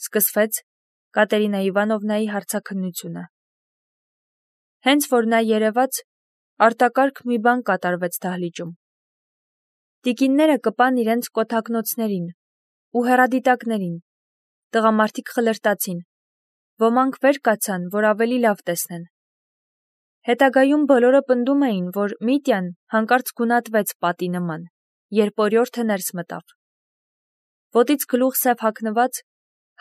Սկսվեց Կատերինա Իվանովնայի հարցաքննությունը։ Հենց որ նա երևաց, արտակարգ մի բան կատարվեց դահլիճում։ Տիկինները կպան իրենց կոթակնոցներին ու հեռադիտակներին, տղամարդիկ խլրտացին, ոմանք վեր կացան, որ ավելի լավ տեսնեն։ Հետագայում բոլորը պնդում էին, որ Միտյան հանկարծ գունատվեց պատի նման, երբ օրիորդը ներս մտավ։ Ոտից գլուխ սև հագնված,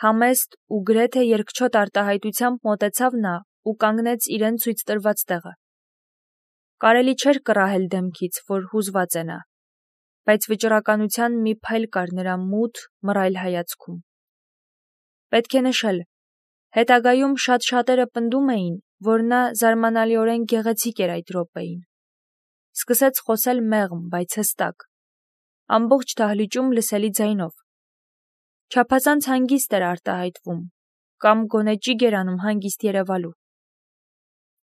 համեստ ու գրեթե երկչոտ արտահայտությամբ մոտեցավ նա ու կանգնեց իրեն ցույց տրված տեղը։ Կարելի չէր կռահել դեմքից, որ հուզված է նա, բայց վճռականության մի փայլ կար նրա մութ, մռայլ հայացքում։ Պետք է նշել, հետագայում շատ շատերը պնդում էին, որ նա զարմանալիորեն գեղեցիկ էր այդ րոպեին։ Սկսեց խոսել մեղմ, բայց հստակ, ամբողջ դահլիճում լսելի ձայնով։ Չափազանց հանգիստ էր արտահայտվում, կամ գոնե ճիգ էր անում հանգիստ երևալու։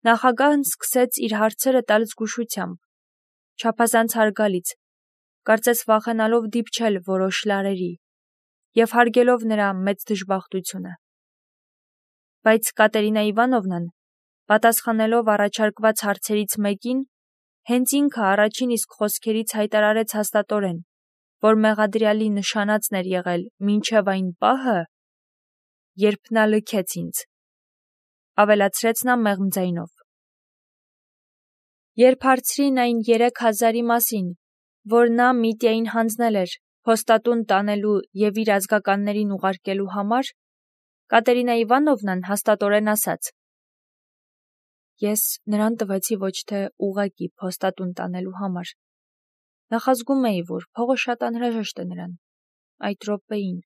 Նախագահն սկսեց իր հարցերը տալ զգուշությամբ, չափազանց հարգալից, կարծես վախենալով դիպչել որոշ լարերի և հարգելով նրա մեծ դժբախտությունը։ Բայց Կատերինա Իվանովնան, պատասխանելով առաջարկված հարցերից մեկին, հենց ինքը առաջին իսկ խոսքերից հայտարարեց հաստատորեն, որ մեղադրյալի նշանածն էր եղել մինչև այն պահը, երբ նա լքեց ինձ, ավելացրեց նա մեղմ ձայնով։ Երբ հարցրին այն 3000-ի մասին, որ նա Միտյային հանձնել էր փոստատուն տանելու և իր ազգականներին ուղարկելու համար, Կատերինա Իվանովնան հաստատորեն ասաց. Ես նրան տվեցի ոչ թե ուղղակի փոստատուն տանելու համար։ Նախազգում էի, որ փողը շատ անհրաժեշտ է նրան, այդ րոպեին։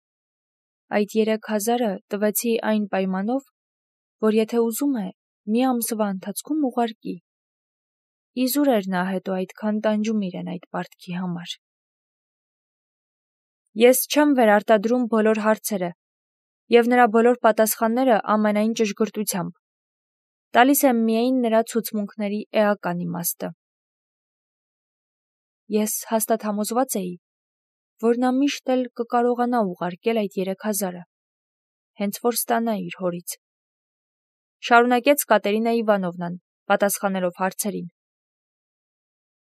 Այդ 3000-ը տվեցի այն պայմանով, որ եթե ուզում է, մի ամսվա ընթացքում ուղարկի։ Իզուր էր նա հետո այդքան տանջում իրեն այդ պարտքի համար։ Ես չեմ վերարտադրում բոլոր հարցերը և նրա բոլոր պատասխանները ամենայն ճշգրտությամբ։ Տալիս եմ միայն նրա ցուցմունքների էական իմաստը։ Ես հաստատ համոզված էի, որ նա միշտ էլ կկարողանա ուղարկել այդ 3000-ը, հենց որ ստանա իր հորից։ Շարունակեց Կատերինա Իվանովնան, պատասխանելով հարցերին։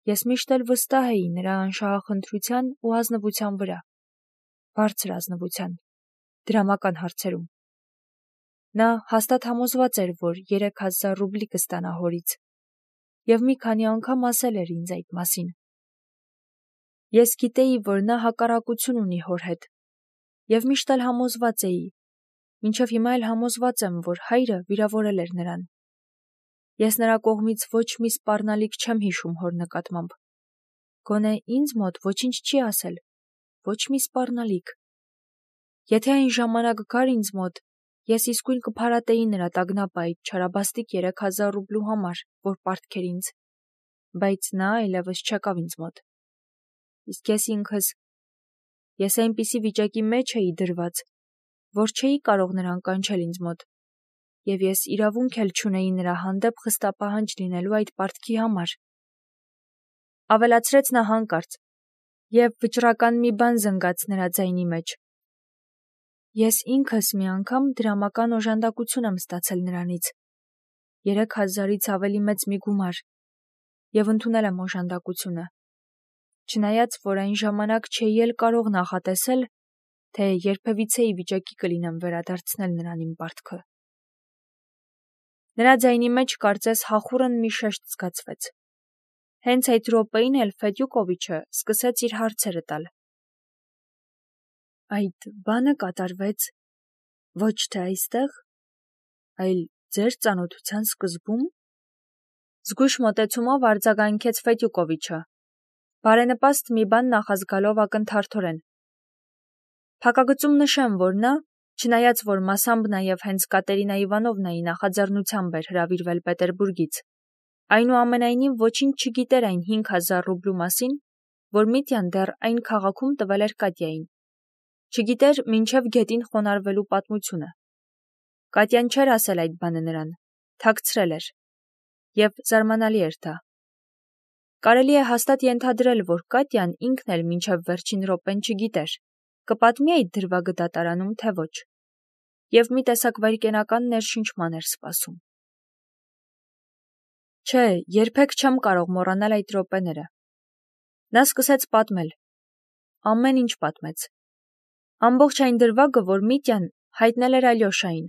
Ես միշտ էլ վստահ էի նրա անշահախնդրության ու ազնվության վրա, բարձր ազնվության, դրամական հարցերում։ Նա հաստատ համոզված էր, որ 3000 ռուբլի կստանա հորից, և մի քանի անգամ ասել էր ինձ այդ մասին։ Ես գիտեի, որ նա հակառակություն ունի հոր հետ, և միշտ էլ համոզված էի, մինչև հիմա էլ համոզված եմ, որ հայրը վիրավորել էր նրան։ Ես նրա կողմից ոչ մի սպառնալիք չեմ հիշում հոր նկատմամբ։ Գոնե ինձ մոտ ոչինչ չի ասել, ոչ մի սպառնալիք։ Եթե այն ժամանակ գար ինձ մոտ, ես իսկույն կփարատեի նրա տագնապը այդ չարաբաստիկ 3000 ռուբլու համար, որ պարտք էր ինձ, բայց նա այլևս չեկավ ինձ մոտ։ Իսկ ես այնպիսի վիճակի մեջ էի դրված, որ չէի կարող նրան կանչել ինձ մոտ, և ես իրավունք էլ չունեի նրա հանդեպ խստապահանջ լինելու այդ պարտքի համար։ Ավելացրեց նա հանկարծ, և վճռական մի բան զնգաց նրա ձայնի մեջ։ Ես ինքս մի անգամ դրամական օժանդակություն եմ ստացել նրանից, 3000-ից ավելի մեծ մի գումար, և ընդունել եմ օժանդակությունը, չնայած որ այն ժամանակ չէի էլ կարող նախատեսել, թե երբևիցե ի վիճակի կլինեմ վերադարձնել նրան իմ պարտքը։ Նրա ձայնի մեջ կարծես հախուռն մի շեշտ զգացվեց։ Հենց այդ րոպեին էլ Ֆեդյուկովիչը սկսեց իր հարցերը տալ։ Այդ բանը կատարվեց ոչ թե այստեղ, այլ ձեր ծանոթության սկզբում։ Զգույշ մոտեցումով արձագանքեց Ֆեդյուկովիչը, բարենպաստ մի բան նախազգալով ակնթարթորեն։ Փակագծում նշեմ, որ նա, չնայած որ մասամբ նաև հենց Կատերինա Իվանովնայի նախաձեռնությամբ էր հրավիրվել Պետերբուրգից, այնուամենայնիվ ոչինչ չգիտեր այն 5000 ռուբլու մասին, որ Միտյան դեռ այն քաղաքում տվել էր Կատյային։ Չգիտեր մինչև գետին խոնարհվելու պատմությունը։ Կատյան չէր ասել այդ բանը նրան, թաքցրել էր, և զարմանալի էր դա։ Կարելի է հաստատ ենթադրել, որ Կատյան ինքն էլ մինչև վերջին րոպեն չգիտեր, կպատմի այդ դրվագը դատարանում, թե ոչ։ և մի տեսակ վայրկենական ներշնչման էր սպասում։ Չէ, երբեք չեմ կարող մոռանալ այդ րոպեները։ Նա սկսեց պատմել։ Ամեն ինչ պատմեց։ Ամբողջ այն դրվագը, որ Միտյան հայտնել էր Ալյոշային,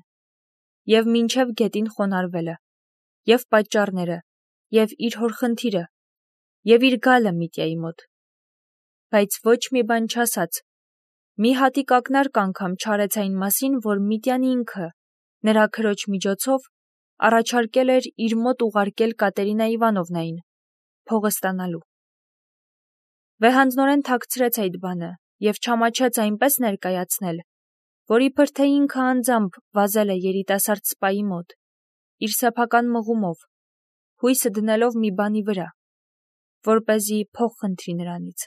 և մինչև գետին խոնարհվելը, և պատճառները, և իր հոր խնդիրը, և իր գալը Միտյայի մոտ։ Բայց ոչ մի բան չասաց։ Մի հատիկ ակնարկ անգամ չարեց այն մասին, որ Միտյան ինքը, նրա քրոջ միջոցով, առաջարկել էր իր մոտ ուղարկել Կատերինա Իվանովնային, փողը ստանալու։ Վեհանձնորեն թաքցրեց այդ բանը և չամաչեց այնպես ներկայացնել, որ իբր թե ինքը անձամբ վազել է երիտասարդ սպայի մոտ, իր սեփական մղումով, հույսը դնելով մի բանի վրա, որպեսզի փող խնդրի նրանից։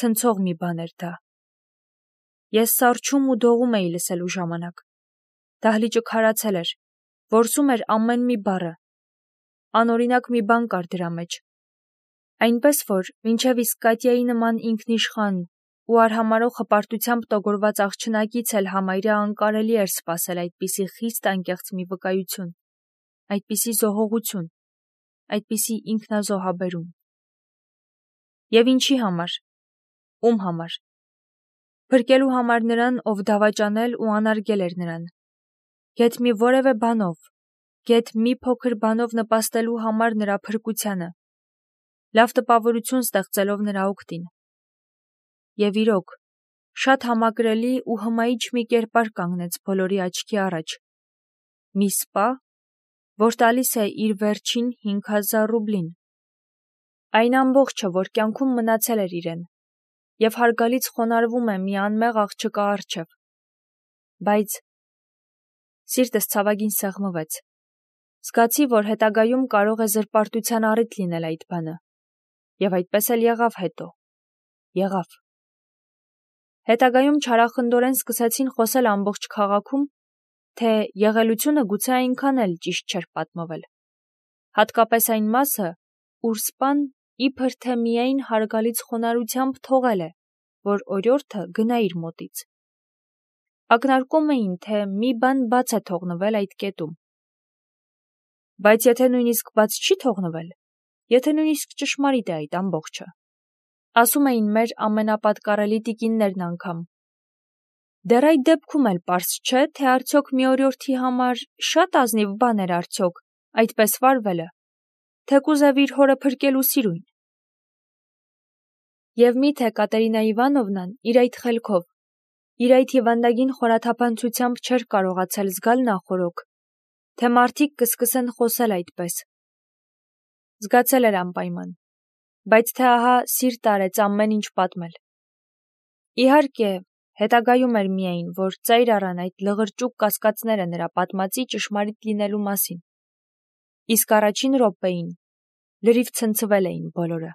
Ցնցող մի բան էր դա։ Ես սառչում ու դողում էի լսելու ժամանակ։ Դահլիճը քարացել էր, որսում էր ամեն մի բառը։ Անօրինակ մի բան կար դրա մեջ։ Այնպես որ մինչև իսկ Կատյայի նման ինքնիշխան ու արհամարհող հպարտությամբ տոգորված աղջնակից էլ համարյա անկարելի էր սպասել այդպիսի խիստ անկեղծ մի վկայություն, այդպիսի զոհողություն, այդպիսի ինքնազոհաբերում։ Եվ ինչի համար։ Ում համար։ Փրկելու համար նրան, ով դավաճանել ու անարգել էր նրան։ Գեթ մի որևէ բանով, գեթ մի փոքր բանով նպաստելու համար նրա փրկությանը, լավ տպավորություն ստեղծելով նրա օգտին։ Եվ իրոք, շատ համակրելի ու հմայիչ մի կերպար կանգնեց բոլորի աչքի առաջ։ Մի սպա, որ տալիս է իր վերջին 5000 ռուբլին։ Այն ամբողջը, որ կյանքում մնացել էր իրեն, և հարգալից խոնարհվում է մի անմեղ աղջկա առջև։ Բայց սիրտս ցավագին սեղմվեց։ Զգացի, որ հետագայում կարող է զրպարտության առիթ լինել այդ բանը։ Եվ այդպես էլ եղավ հետո։ Եղավ։ Հետագայում չարախնդորեն սկսեցին խոսել ամբողջ քաղաքում, թե եղելությունը գուցե այնքան էլ ճիշտ չէր պատմվել։ Հատկապես այն մասը, ուր սպան իբր թե միայն հարգալից խոնարհությամբ թողել է, որ օրիորդը գնա իր մոտից։ Ակնարկում էին, թե մի բան բաց է թողնվել այդ կետում։ Բայց եթե նույնիսկ բաց չի թողնվել, եթե նույնիսկ ճշմարիտ է այդ ամբողջը, ասում էին մեր ամենապատկառելի տիկիններն անգամ, դեռ այդ դեպքում էլ պարզ չէ, թե արդյոք մի օրիորդի համար շատ ազնիվ բան էր արդյոք այդպես վարվելը, թեկուզև իր հորը փրկելու սիրուն։ Եվ միթե Կատերինա Իվանովնան իր այդ խելքով, իր այդ հիվանդագին խորաթափանցությամբ չէր կարողացել զգալ նախօրոք, թե մարդիկ կսկսեն խոսել այդպես։ Զգացել էր անպայման, բայց թե ահա սիրտ արեց ամեն ինչ պատմել։ Իհարկե, հետագայում էր միայն, որ ծայր առան այդ լղրճուկ կասկածները նրա պատմածի ճշմարիտ լինելու մասին։ Իսկ առաջին րոպեին լրիվ ցնցվել էին բոլորը։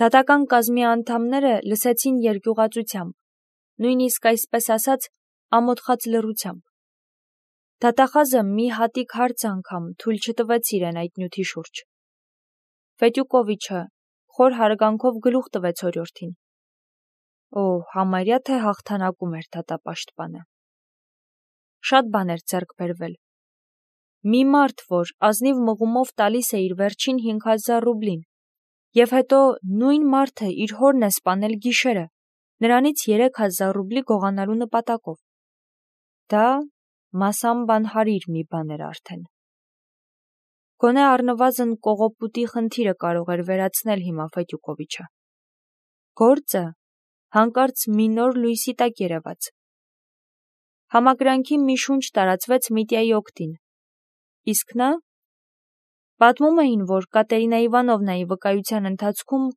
Դատական կազմի անդամները լսեցին երկյուղածությամբ, նույնիսկ այսպես ասած ամոթխած լռությամբ։ Դատախազը մի հատիկ հարց անգամ թույլ չտվեց իրեն այդ նյութի շուրջ։ Ֆետյուկովիչը խոր հարգանքով գլուխ տվեց օրիորդին։ Օ, համարյա թե հաղթանակում էր դատապաշտպանը։ Շատ բան էր ձեռք բերվել։ Մի մարդ, որ ազնիվ մղումով տալիս է իր վերջին 5000 ռուբլին, և հետո նույն մարդը իր հորն է սպանել գիշերը, նրանից 3000 ռուբլի գողանալու նպատակով։ Դա մասամբ անհարիր մի բան էր արդեն։ Գոնե առնվազն կողոպուտի խնդիրը կարող էր վերացնել հիմա Ֆետյուկովիչը։ Գործը հանկարծ մի նոր լույսի տակ երևաց։ Համակրանքի մի շունչ տարածվեց Միտյայի օգտին։ Իսկ նա… Պատմում էին, որ Կատերինա Իվանովնայի վկայության ընթացքում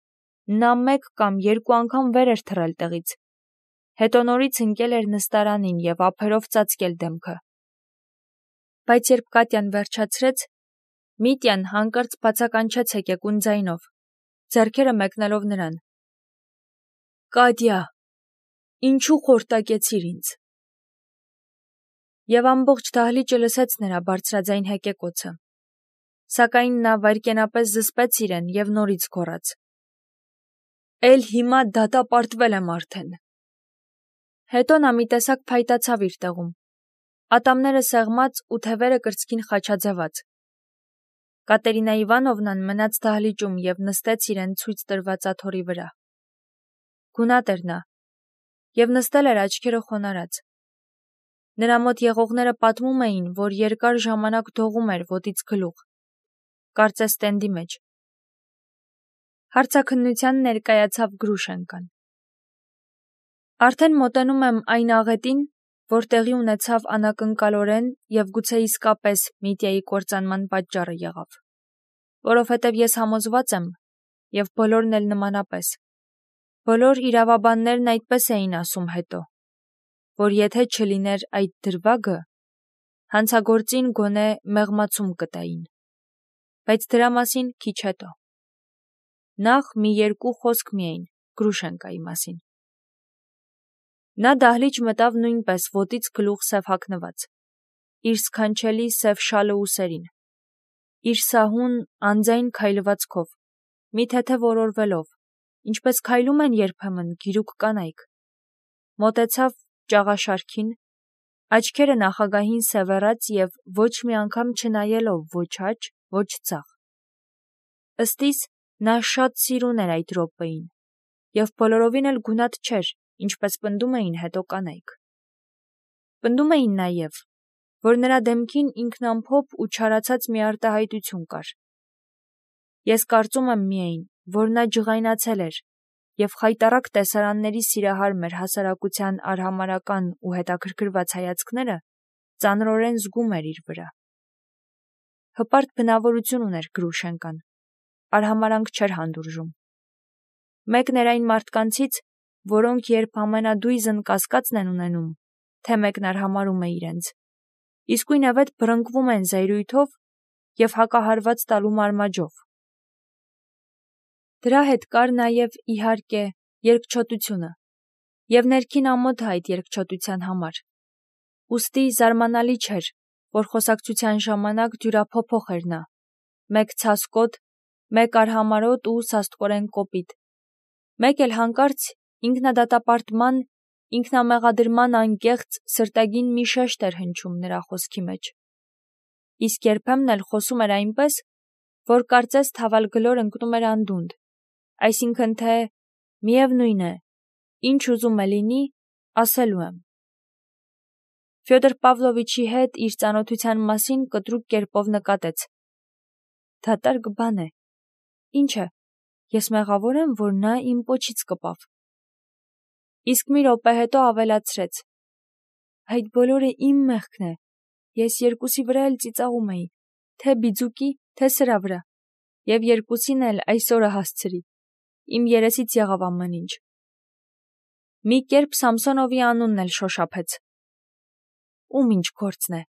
նա մեկ կամ երկու անգամ վեր էր թռել տեղից, հետո նորից ընկել էր նստարանին և ափերով ծածկել դեմքը։ Բայց երբ Կատյան վերջացրեց, Միտյան հանկարծ բացականչեց հեկեկուն ձայնով, ձեռքերը մեկնելով նրան. «Կատյա, ինչու խորտակեցիր ինձ»։ Եվ ամբողջ դահլիճը լսեց նրա բարձրաձայն հեկեկոցը։ Սակայն նա վայրկենապես զսպեց իրեն և նորից գոռաց. «Էլ հիմա դատապարտվել եմ արդեն»։ Հետո նա մի տեսակ փայտացավ իր տեղում, ատամները սեղմած ու թևերը կրծքին խաչաձևած։ Կատերինա Իվանովնան մնաց դահլիճում և նստեց իրեն ցույց տրված աթոռի վրա։ Գունատ էր նա, և նստել էր աչքերը խոնարհած։ Նրա մոտ եղողները պատմում էին, որ երկար ժամանակ դողում էր ոտից գլուխ, կարծես տենդի մեջ։ Հարցաքննության ներկայացավ Գրուշենկան։ Արդեն մոտենում եմ այն աղետին, որ տեղի ունեցավ անակնկալորեն և գուցե իսկապես Միտյայի կործանման պատճառը եղավ, որովհետև ես համոզված եմ, և բոլորն էլ նմանապես, բոլոր իրավաբաններն այդպես էին ասում հետո, որ եթե չլիներ այդ դրվագը, հանցագործին գոնե մեղմացում կտային, բայց դրա մասին քիչ հետո։ Նախ մի երկու խոսք միայն Գրուշենկայի մասին։ Նա դահլիճ մտավ նույնպես ոտից գլուխ սև հագնված, իր սքանչելի սև շալը ուսերին, իր սահուն, անձայն քայլվածքով, մի թեթև օրորվելով, ինչպես քայլում են երբեմն գիրուկ կանայք, մոտեցավ ճաղաշարքին, աչքերը նախագահին սևեռած և ոչ մի անգամ չնայելով ոչ աջ, ոչ ձախ։ Ըստ իս, նա շատ սիրուն էր այդ րոպեին, և բոլորովին էլ գունատ չէր, ինչպես պնդում էին հետո կանայք։ Պնդում էին նաև, որ նրա դեմքին ինքնամփոփ ու չարացած մի արտահայտություն կար։ Ես կարծում եմ միայն, որ նա ջղայնացել էր, և խայտառակ տեսարանների սիրահար մեր հասարակության արհամարհական ու հետաքրքրված հայացքները ծանրորեն զգում էր իր վրա։ Հպարտ բնավորություն ուներ Գրուշենկան, արհամարանք չէր հանդուրժում։ Մեկն էր այն մարդկանցից, որոնք երբ ամենադույզն կասկածն են ունենում, թե մեկն արհամարհում է իրենց, իսկույնևեթ բռնկվում են զայրույթով և հակահարված տալու մարմաջով։ Դրա հետ կար նաև, իհարկե, երկչոտությունը և ներքին ամոթը այդ երկչոտության համար։ Ուստի զարմանալի չէր, որ խոսակցության ժամանակ դյուրափոփոխ էր նա, մեկ ցասկոտ, մեկ արհամարհոտ ու սաստկորեն կոպիտ, մեկ էլ հանկարծ ինքնադատապարտման, ինքնամեղադրման անկեղծ սրտագին մի շեշտ էր հնչում նրա խոսքի մեջ։ Իսկ երբեմն էլ խոսում էր այնպես, որ կարծես թավալգլոր ընկնում էր անդունդ, այսինքն թե միևնույն է, ինչ ուզում է լինի, ասելու եմ։ Ֆյոդոր Պավլովիչի հետ իր ծանոթության մասին կտրուկ կերպով նկատեց. դատարկ բան է, ինչ է, ես մեղավոր եմ, որ նա իմ պոչից կպավ։ Իսկ մի րոպե հետո ավելացրեց. այդ բոլորը իմ մեղքն է, ես երկուսի վրա էլ ծիծաղում էի, թե բիձուկի, թե սրա վրա, և երկուսին էլ այս օրը հասցրի, իմ երեսից եղավ ամեն ինչ։ Մի կերպ Սամսոնովի անունն էլ շոշափեց։ Ում ինչ գործն է։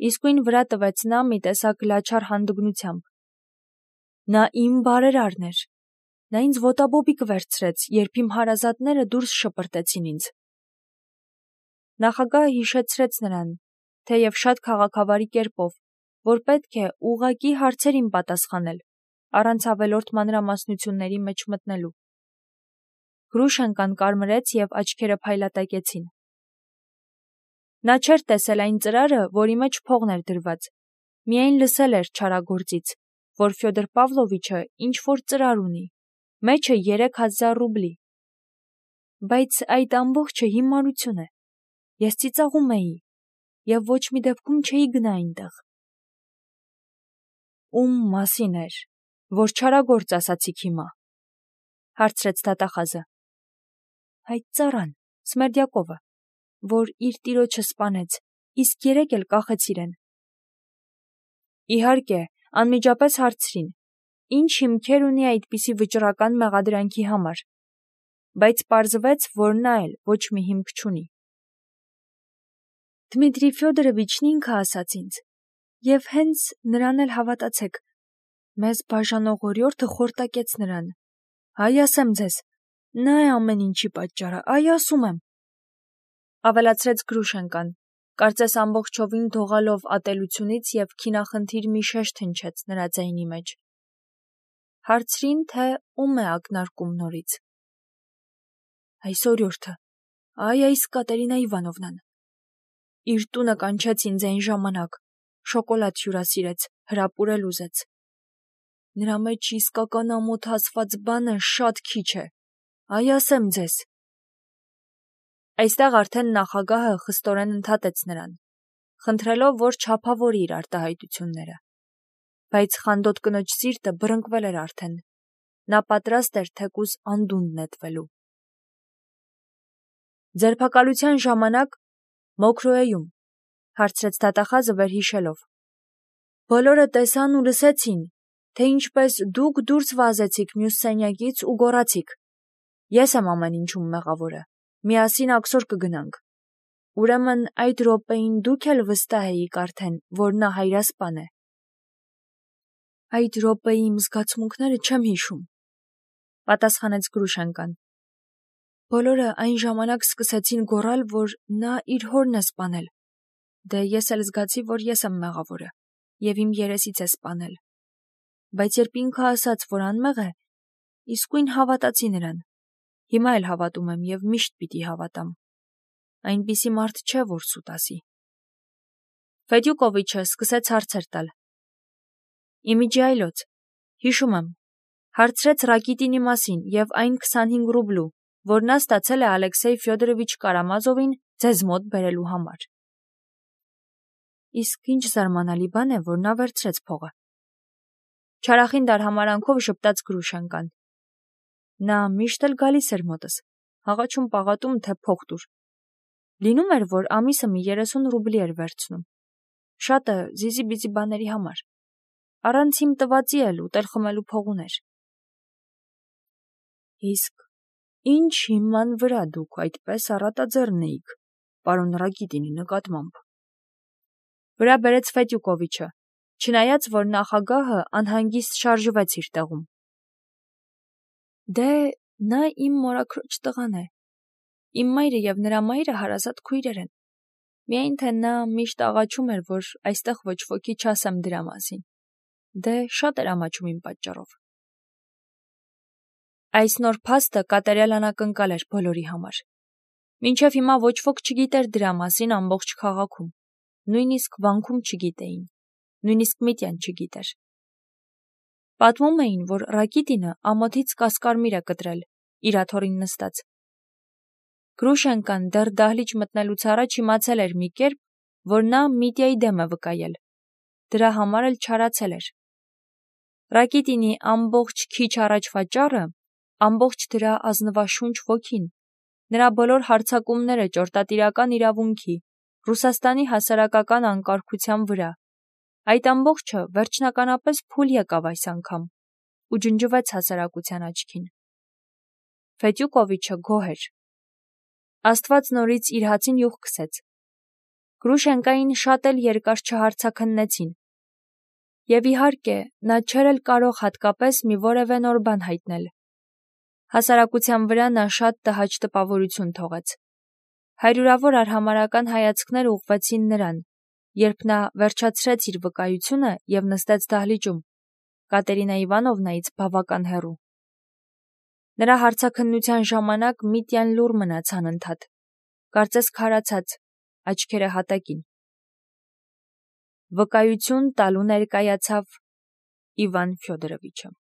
Իսկույն վրա տվեց նա մի տեսակ լաչար հանդգնությամբ։ Նա իմ բարերարն էր։ Նա ինձ ոտաբոբիկ վերցրեց, երբ իմ հարազատները դուրս շպրտեցին ինձ։ Նախագահը հիշեցրեց նրան, թեև շատ քաղաքավարի կերպով, որ պետք է ուղղակի հարցերին պատասխանել, առանց ավելորդ մանրամասնությունների մեջ մտնելու։ Գրուշենկան կարմրեց և աչքերը փայլատակեցին։ Նա չէր տեսել այն ծրարը, որի մեջ փողն էր դրված, միայն լսել էր չարագործից, որ Ֆյոդոր Պավլովիչը ինչ-որ ծրար ունի, մեջը 3000 ռուբլի։ Բայց այդ ամբողջը հիմարություն է։ Ես ծիծաղում էի և ոչ մի դեպքում չէի գնա այնտեղ։ Ում մասին էր, որ չարագործ ասացիք հիմա, հարցրեց դատախազը։ Այդ ծառան, Սմերդյակովը, որ իր տիրոջը սպանեց, իսկ 3 էլ կախեց իրեն։ Իհարկե, անմիջապես հարցրին, ինչ հիմքեր ունի այդպիսի վճռական մեղադրանքի համար, բայց պարզվեց, որ նա էլ ոչ մի հիմք չունի։ Դմիտրի Ֆյոդորովիչն ինքը ասաց ինձ, և հենց նրան էլ հավատացեք, մեզ բաժանող օրիորդը խորտակեց նրան։ Այ ասեմ ձեզ, նա է ամեն ինչի պատճառը, այ ասում եմ, ավելացրեց Գրուշենկան, կարծես ամբողջովին դողալով ատելությունից և քինախնդիր մի շեշտ հնչեց նրա ձայնի մեջ։ Հարցրին, թե ում է ակնարկում նորից։ Այս օրիորդը, այս Կատերինա Իվանովնան։ Իր տունը կանչեց ինձ այն ժամանակ, շոկոլադ հյուրասիրեց, հրապուրել ուզեց։ Նրա մեջ իսկական ամոթ ասված բանը շատ քիչ է, ասեմ ձեզ։ Այստեղ արդեն նախագահը խստորեն ընդհատեց նրան, խնդրելով, որ չափավորի իր արտահայտությունները։ Բայց խանդոտ կնոջ սիրտը բռնկվել էր արդեն։ Նա պատրաստ էր թեկուզ անդունդը նետվելու։ Ձերբակալության ժամանակ Մոքրոեում, հարցրեց դատախազը վերհիշելով։ Բոլորը տեսան ու լսեցին, թե ինչպես դուք դուրս վազեցիք մյուս սենյակից ու գոռացիք. Ես եմ ամեն ինչում մեղավորը, միասին աքսոր կգնանք։ Ուրեմն այդ րոպեին դուք էլ վստահ էիք արդեն, որ նա հայրասպան է։ Այդ րոպեի իմ զգացմունքները չեմ հիշում, պատասխանեց Գրուշենկան։ Բոլորը այն ժամանակ սկսեցին գոռալ, որ նա իր հորն է սպանել։ Դե ես էլ զգացի, որ ես եմ մեղավորը, և իմ երեսից է սպանել։ Բայց երբ ինքը ասաց, որ անմեղ է, իսկույն հավատացի նրան։ Հիմա էլ հավատում եմ և միշտ պիտի հավատամ։ Այնպիսի մարդ չէ, որ սուտ ասի։ Ֆեդյուկովիչը սկսեց հարցեր տալ։ Իմիջի այլոց, հիշում եմ, հարցրեց Ռակիտինի մասին և այն 25 ռուբլու, որ նա ստացել է Ալեքսեյ Ֆյոդորովիչ Կարամազովին ձեզ մոտ բերելու համար։ Իսկ ինչ զարմանալի բան է, որ նա վերցրեց փողը։ Չարախին դարհամարանքով ժպտաց Գրուշենկան։ Նա միշտ էլ գալիս էր մոտս, հաղաչում պաղատում, թե փող տուր։ Լինում էր, որ ամիսը մի 30 ռուբլի էր վերցնում։ Շատը զիզի-բիզի բաների համար։ Առանց իմ տվածի էլ ուտել խմելու փող ուներ։ Իսկ ինչ հիման վրա դուք այդպես առատաձեռն էիք, պարոն Ռակիտինի նկատմամբ։ Վրա բերեց Ֆեդյուկովիչը, չնայած, որ նախագահը անհանգիստ շարժվեց իր տեղում։ Դե, նա իմ մորաքրոջ տղան է։ Իմ մայրը և նրա մայրը հարազատ քույրեր են։ Միայն թե նա միշտ աղաչում էր, որ այստեղ ոչ ոքի չասեմ դրա մասին։ Դե, շատ էր ամաչում իմ պատճառով։ Այս նոր փաստը կատարյալ անակնկալ էր բոլորի համար։ Մինչև հիմա ոչ ոք չգիտեր դրա մասին ամբողջ քաղաքում։ Նույնիսկ վանքում չգիտեին։ Նույնիսկ Միտյան չգիտեր։ Պատմում էին, որ Ռակիտինը ամոթից կասկարմիր է կտրել, իր աթոռին նստած։ Գրուշենկան դեռ դահլիճ մտնելուց առաջ իմացել էր մի կերպ, որ նա Միտյայի դեմ է վկայել։ Դրա համար էլ չարացել էր։ Ռակիտինի ամբողջ քիչ առաջվա ճառը, ամբողջ դրա ազնվաշունչ ոգին, նրա բոլոր հարձակումները ճորտատիրական իրավունքի, Ռուսաստանի հասարակական անկարգության վրա, այդ ամբողջը վերջնականապես փուլ եկավ այս անգամ ու ջնջվեց հասարակության աչքին։ Ֆեդյուկովիչը գոհ էր։ Աստված նորից իր հացին յուղ քսեց։ Գրուշենկային շատ էլ երկար չհարցաքննեցին։ Եվ իհարկե, նա չէր էլ կարող հատկապես մի որևէ նոր բան հայտնել։ Հասարակության վրա նա շատ տհաճ տպավորություն թողեց։ Հարյուրավոր արհամարհական հայացքներ ուղղվեցին նրան, երբ նա վերջացրեց իր վկայությունը և նստեց դահլիճում, Կատերինա Իվանովնայից բավական հեռու։ Նրա հարցաքննության ժամանակ Միտյան լուռ մնաց անընդհատ, կարծես քարացած, աչքերը հատակին։ Վկայություն տալու ներկայացավ Իվան Ֆյոդորովիչը։